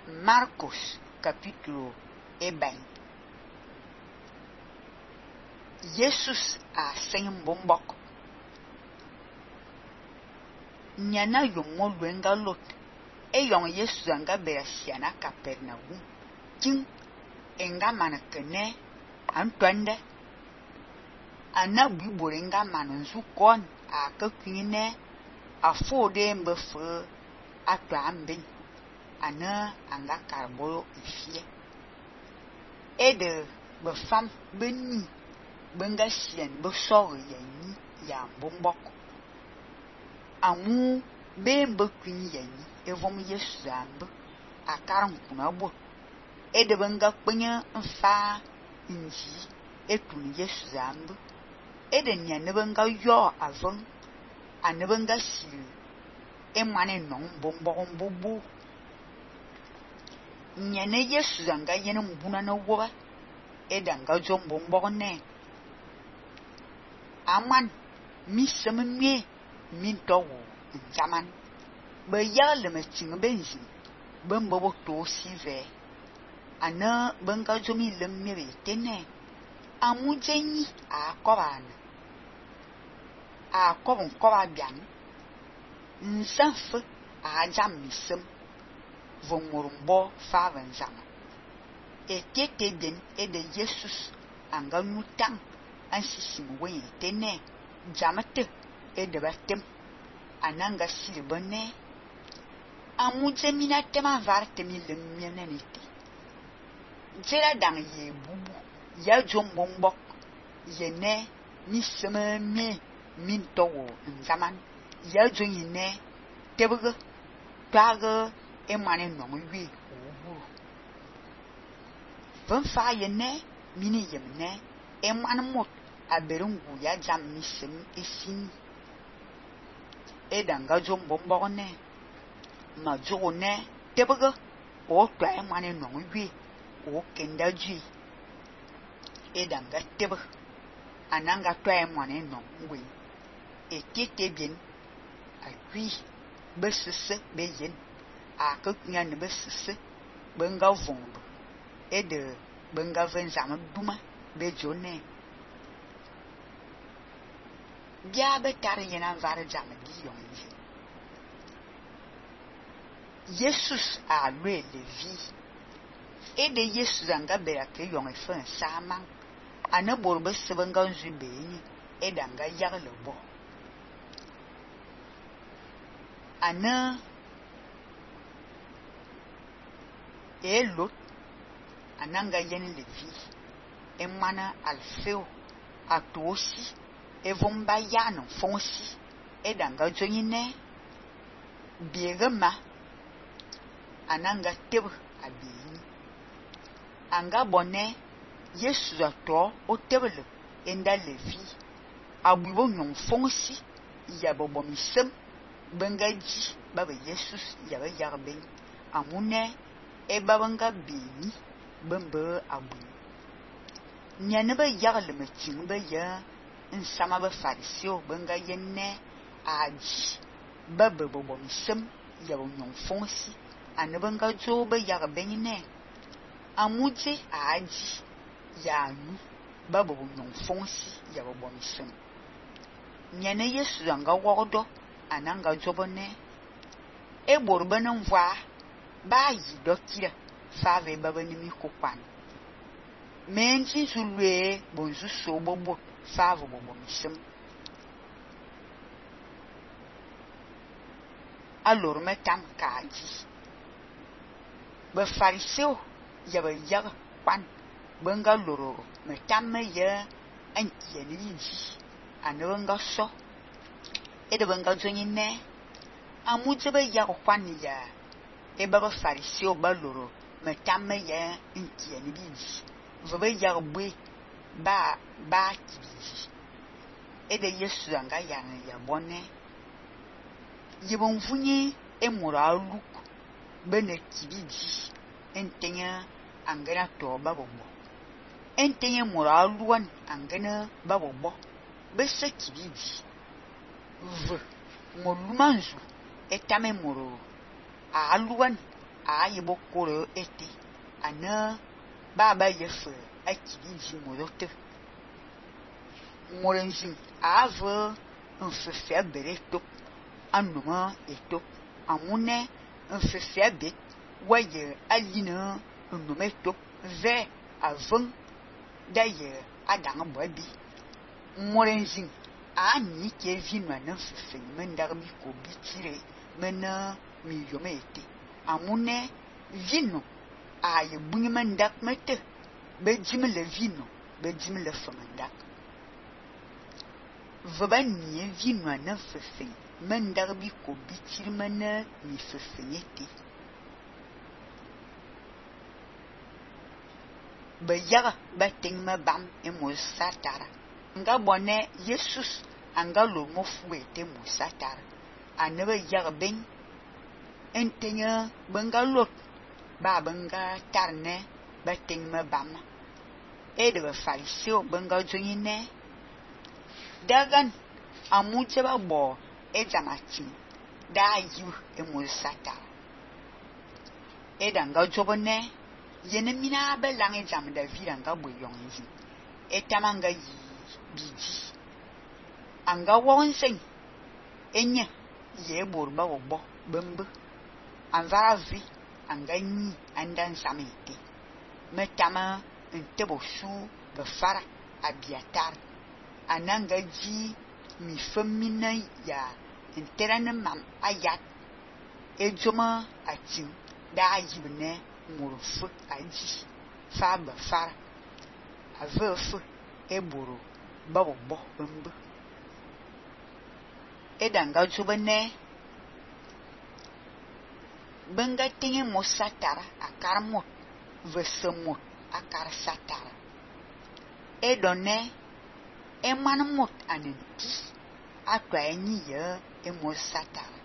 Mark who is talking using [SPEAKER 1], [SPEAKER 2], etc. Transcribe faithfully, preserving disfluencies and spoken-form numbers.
[SPEAKER 1] Marcos capítulo ebem. Jesus a sem bombok. Nyana yongo lwenga lot. E yon Jesus anga berasiana Capernaum. King enga manakene Antoine. Ana biborenga manonzu kon a kakwine a fode mbefe atwa ambin. Ana anga karbolo ifie. E de befam beni benga sien besore yani ya bombok. Amu be bekwini yani evom Yesu zambe akaran kuna bot. E de benga kpenye mfa inji etun Yesu zambe. E de nyane benga yo avon ane benga sil e mane non bombok mbobo. Nyane Yesu zanga yene mbuna na woba. E danga jom bombok ne. Aman mi semenwe min towo njaman. Be yale me ting benzi. Ben bobo to sive. Ana benga jomi lemme tene. Amu jenyi a kobana. A kobon koba bian. Nsanfe a jam misem. Vomorumbo faven zama. E tete den e de Jesus anga nutang ansisim we tene jamate e de batem ananga silbone amuje mina tema varte mi lemmenenete jera dang ye bubu ya jombombok ye ne mi seme me min towo nzaman ya joyine tebege twage e mane no wi obu van fa ye ne mini yemne e man mot aberungu ya jam misem esin e danga jombombok ne ma jogo ne tebege o twa e mane no wi o kenda ji e danga tebe ananga twa e mane no wi e tete bien a wi besese be yen a kunya ne besese benga vondo e de benga venzama duma be jone bia be tar yena var jam di yonje Jesus a lwe levi e de Jesus anga bera ke yon e fen saman ana borbe sebenga nzu be ni e danga yar le bo ana e lot ananga yen levi e mana alfeo atosi e vomba yano fonsi e danga joyine biegema ananga tebe abini anga bone Yesu ato o tebele enda levi abubo nyon fonsi ya bobo misem benga ji baba Jesus ya ba yarben amune e babanga bini bembe abu nyane ba yagle me ting ba ya nsama ba fariseo benga yenne aji baba bobo misem ya bo nyon fonsi ane benga jo ba yarben ne amuje aji ya nu baba bo nyon fonsi ya bobo misem nyane Yesu anga wodo ananga jobone e borbe ne mva ba yi dokira fave baba ni mi kokwan menji zulwe bonzu so bobo fave bobo misem alor metam kaji be fariseo ya ba yaga kwan benga loro metam me ya anki ni yinji anonga so e de benga jonyine amuje be yaga kwan ya e baba fariseo ba loro metam me ya anki ni yinji vobe yaga bwe ba ba kibiji e de Yesu anga yana ya bone yibon funye e moralu bene kibiji entenya angana to babobo entenya moralu wan angana babobo bese kibiji v molumanzu etame moro aluan a ye bokoro ete ana baba ye fe akiri ji morote morenjin ave nfefe bere tok anuma etok amune nfefe bet waye alina nnume tok ve avon daye adang bobi morenjin a ni ke vinwa na nfefe mendar bi ko bitire mena mi yome ete amune vino a ye bunyi mendak mete be jimi le vino be jimi le femendak veba ni vino na nfefe mendar bi ko bitire mena mi fefe ete be yaga ba ting me bam e mo satara nga bone Jesus anga lo mo fuwe te mo satara anebe yaga ben entenya benga lot ba benga tarne ba ting me bam e de fariseo benga joine dagan amuje ba bo e jamati da yu e mo satara e danga jobone yene mina be lange jam da viranga bo yonzi etamanga yi biji anga wonsen enya ye borba obo bembe anvara vi anga ni andan samete metama ntebo su be fara abiatar ananga ji mi femina ya enterane mam ayat ejoma atin da yibne murfu aji fa be fara avefu eboro babo bo bembe edanga jubene benga tinge mo satara akar mot vesemot akar satara edone eman mot anenti atwa enyi ye e mo satara